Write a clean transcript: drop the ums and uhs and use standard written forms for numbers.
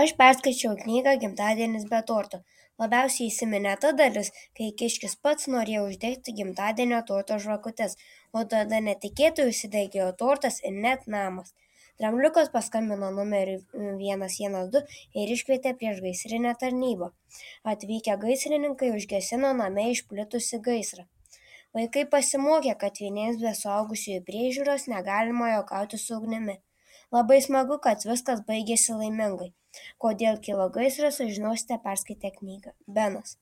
Aš perskaičiau knygą Gimtadienis be torto. Labiausiai įsiminė ta dalis, kai kiškis pats norėjo uždegti gimtadienio torto žvakutes, o tada netikėtai užsidegė tortas ir net namas. Drambliukas paskambino numeriu 112 ir iškvietė priešgaisrinę tarnybą. Atvykę gaisrininkai užgesino name išplitusį gaisrą. Vaikai pasimokė, kad vieniems be suaugusiųjų priežiūros negalima juokauti su ugnimi. Labai smagu, kad viskas baigėsi laimingai. Kodėl kilo gaisras, sužinosite perskaitę knygą. Benas.